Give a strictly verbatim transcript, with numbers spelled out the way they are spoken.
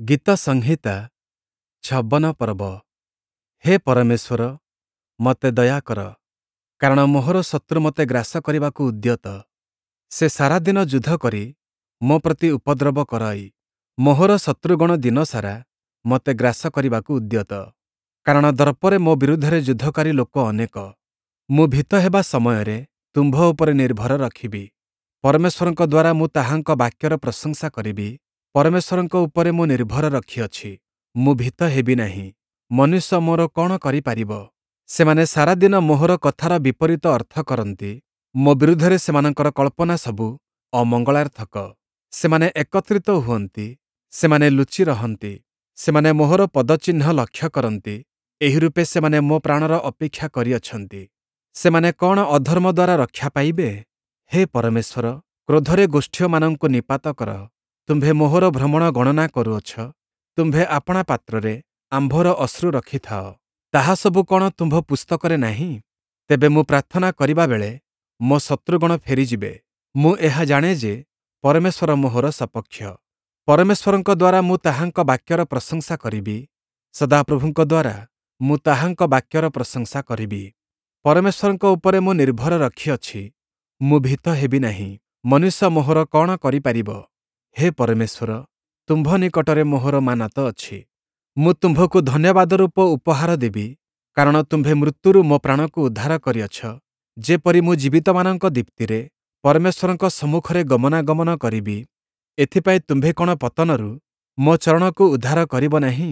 ଗୀତସଂହିତା ଛବନ ପର୍ବ। ହେ ପରମେଶ୍ୱର, ମୋତେ ଦୟା କର, କାରଣ ମୋହର ଶତ୍ରୁ ମୋତେ ଗ୍ରାସ କରିବାକୁ ଉଦ୍ୟତ। ସେ ସାରାଦିନ ଯୁଦ୍ଧ କରି ମୋ ପ୍ରତି ଉପଦ୍ରବ କରଇ। ମୋହର ଶତ୍ରୁଗଣ ଦିନସାରା ମୋତେ ଗ୍ରାସ କରିବାକୁ ଉଦ୍ୟତ। କାରଣ ଦର୍ପରେ ମୋ ବିରୁଦ୍ଧରେ ଯୁଦ୍ଧକାରୀ ଲୋକ ଅନେକ। ମୁଁ ଭୀତ ହେବା ସମୟରେ ତୁମ୍ଭ ଉପରେ ନିର୍ଭର ରଖିବି। ପରମେଶ୍ୱରଙ୍କ ଦ୍ୱାରା ମୁଁ ତାହାଙ୍କ ବାକ୍ୟର ପ୍ରଶଂସା କରିବି। ପରମେଶ୍ୱରଙ୍କ ଉପରେ ମୁଁ ନିର୍ଭର ରଖିଅଛି, ମୁଁ ଭୀତ ହେବି ନାହିଁ। ମନୁଷ୍ୟ ମୋର କ'ଣ କରିପାରିବ? ସେମାନେ ସାରାଦିନ ମୋହର କଥାର ବିପରୀତ ଅର୍ଥ କରନ୍ତି। ମୋ ବିରୁଦ୍ଧରେ ସେମାନଙ୍କର କଳ୍ପନା ସବୁ ଅମଙ୍ଗଳାର୍ଥକ। ସେମାନେ ଏକତ୍ରିତ ହୁଅନ୍ତି, ସେମାନେ ଲୁଚି ରହନ୍ତି। ସେମାନେ ମୋହର ପଦଚିହ୍ନ ଲକ୍ଷ୍ୟ କରନ୍ତି। ଏହିରୂପେ ସେମାନେ ମୋ ପ୍ରାଣର ଅପେକ୍ଷା କରିଅଛନ୍ତି। ସେମାନେ କ'ଣ ଅଧର୍ମ ଦ୍ୱାରା ରକ୍ଷା ପାଇବେ? ହେ ପରମେଶ୍ୱର, କ୍ରୋଧରେ ଗୋଷ୍ଠୀୟମାନଙ୍କୁ ନିପାତ କର। ତୁମ୍ଭେ ମୋହର ଭ୍ରମଣ ଗଣନା କରୁଅଛ। ତୁମ୍ଭେ ଆପଣା ପାତ୍ରରେ ଆମ୍ଭର ଅଶ୍ରୁ ରଖିଥାଅ। ତାହା ସବୁ କ'ଣ ତୁମ୍ଭ ପୁସ୍ତକରେ ନାହିଁ? ତେବେ ମୁଁ ପ୍ରାର୍ଥନା କରିବା ବେଳେ ମୋ ଶତ୍ରୁଗଣ ଫେରିଯିବେ। ମୁଁ ଏହା ଜାଣେ ଯେ ପରମେଶ୍ୱର ମୋହର ସପକ୍ଷ। ପରମେଶ୍ୱରଙ୍କ ଦ୍ୱାରା ମୁଁ ତାହାଙ୍କ ବାକ୍ୟର ପ୍ରଶଂସା କରିବି। ସଦାପ୍ରଭୁଙ୍କ ଦ୍ୱାରା ମୁଁ ତାହାଙ୍କ ବାକ୍ୟର ପ୍ରଶଂସା କରିବି। ପରମେଶ୍ୱରଙ୍କ ଉପରେ ମୁଁ ନିର୍ଭର ରଖିଅଛି, ମୁଁ ଭୀତ ହେବି ନାହିଁ। ମନୁଷ୍ୟ ମୋହର କ'ଣ କରିପାରିବ? ହେ ପରମେଶ୍ୱର, ତୁମ୍ଭ ନିକଟରେ ମୋହର ମାନତ ଅଛି। ମୁଁ ତୁମ୍ଭକୁ ଧନ୍ୟବାଦ ରୂପ ଉପହାର ଦେବି, କାରଣ ତୁମ୍ଭେ ମୃତ୍ୟୁରୁ ମୋ ପ୍ରାଣକୁ ଉଦ୍ଧାର କରିଅଛ, ଯେପରି ମୁଁ ଜୀବିତମାନଙ୍କ ଦୀପ୍ତିରେ ପରମେଶ୍ୱରଙ୍କ ସମ୍ମୁଖରେ ଗମନାଗମନ କରିବି। ଏଥିପାଇଁ ତୁମ୍ଭେ କ'ଣ ପତନରୁ ମୋ ଚରଣକୁ ଉଦ୍ଧାର କରିବ ନାହିଁ?